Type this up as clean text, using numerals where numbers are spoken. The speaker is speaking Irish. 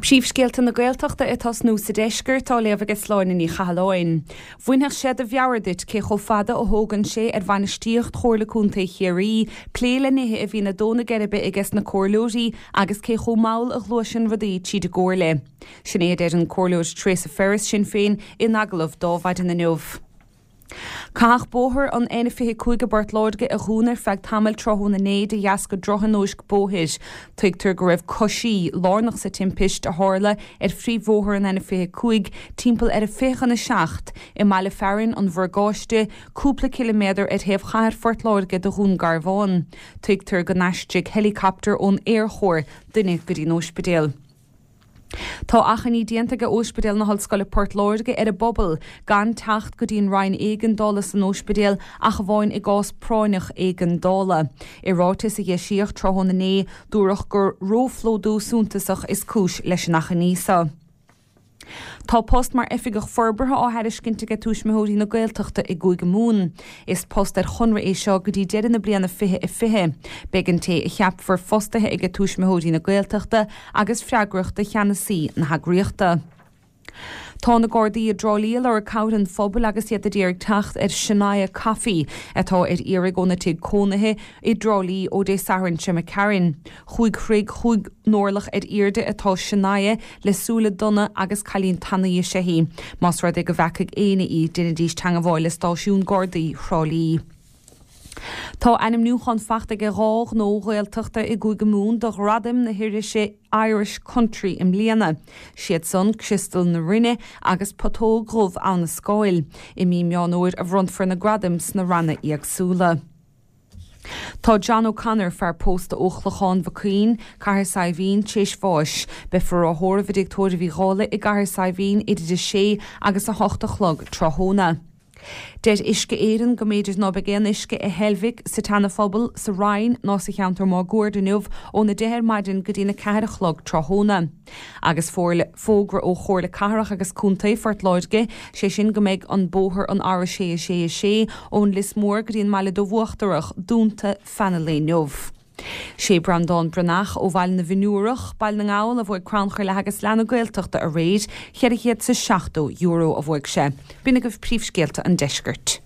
Príomhscéalta na Gaeltachta ag tosnú sa deisceart, á léamh aige Sláine Ní Chathalláin. Bhainfeadh sé do mheabhair duit cé chomh fada a thógann sé ar bhainistíocht Chomhairle Contae Chiarraí plé le nithe a bhíonn ag dó na geirbe aiges na comhairleoirí agus cé chomh mall a ghluaiseann rudaí tríd an gcomhairle. Sin é a deir an Comhairleoir Toireasa Ferris, Sinn Féin, in agallamh d'Adhmhaidin inniu. Caitheadh bóthar an N25 i bPort Láirge a dhúnadh ar feadh tamaill tráthnóna inné de dheasca drochthionóisc bóthair. Tuigtear go raibh coisí lárnach sa timpist a tharla ar phríomhbhóthar an N25 timpeall ar a 6:40 i mbaile fearainn an Mhorgáiste, cúpla ciliméadar ar thaobh chathair Phort Láirge de Dhún Garbhán. Tuigtear go n-aistrigh heileacaptar ón Aerchór duine go dtí an óispidéal. Tá achainí déanta ag Óispidéal na hOllscoile Port Láirge ar an bpobal gan teacht go dtí an Roinn Éigeandála san óispidéal ach amháin i gcás práinneach éigeandála. I ráiteas a d'eisíodh tráthnóna inné, dúradh gur róphlódú suntasach is cúis leis an achainí seo. Tá post mar Oifigeach Forbartha á thairiscint aige Tuismitheoirí na Gaeltachta i gCúige Mumhan. Is post ar chonradh é seo go dtí deireadh na bliana 2020. Beidh an té a cheapfar fostaithe aige Tuismitheoirí na Gaeltachta agus freagrach do cheannasaí na heagraíochta. Tá na Gardaí i dTrá Lí ag lorg cabhair an phobail agus iad a d'iarraidh teacht ar Shania Coffey, atá ar iarraidh óna tigh cónaithe i dTrá Lí ó Dé Sathairn seo imigh tharainn. Chúig throigh chúig n-orlach ar airde atá Shania le súile donna agus cailín tanaí is ea í. Más rud é go bhfeacaigh éinne í, déanaidís teangmháil le stáisiún Gardaí Thrá Lí. Tá ainmniúchán fachta ag 2 ghnó Ghaeltachta i gCúige Mumhan do ghradaim na hirise Irish Country i mbliana. Siad san, Criostal na Rinne agus Putóg Dhubh Abha na Scáil. I mí Meán Fhómhair a bhronnfar na gradaim sna ranna éagsúla. Tá John O'Connor, fear pósta ó Chlochán Mhic Cuinn, Cathair Saidhbhín, tar éis bháis. Beifear á thórramh i dTigh Tórraimh Uí Dhálaigh i gCathair Saidhbhín idir 6 agus 8 a chlog tráthnóna. Deir Uisce Éireann go mb'fhéidir ná beidh aon uisce i Heilbhic, sa tSeana-Phobal, sa Rinn ná sa cheantar máguaird inniu óna 10 ar maidin go dtína 4 a chlog tráthnóna. Agus fógra ó Chomhairle Cathrach agus Contae Phort Láirge, sé sin go mbeidh an bóthar an R6 6 6 ón Lios Mór go dtí an mBaile Dubh Uachtarach dúnta feadh an lae inniu. Sé Breandán Breathnach ó Bhaile na bhFionnúrach, Baile na nGall, a bhuaigh Crannchur Leath agus Leath na Gaeltachta aréir, €470 a bhuaigh sé. B'in agaibh príomhscéalta an deiscirt.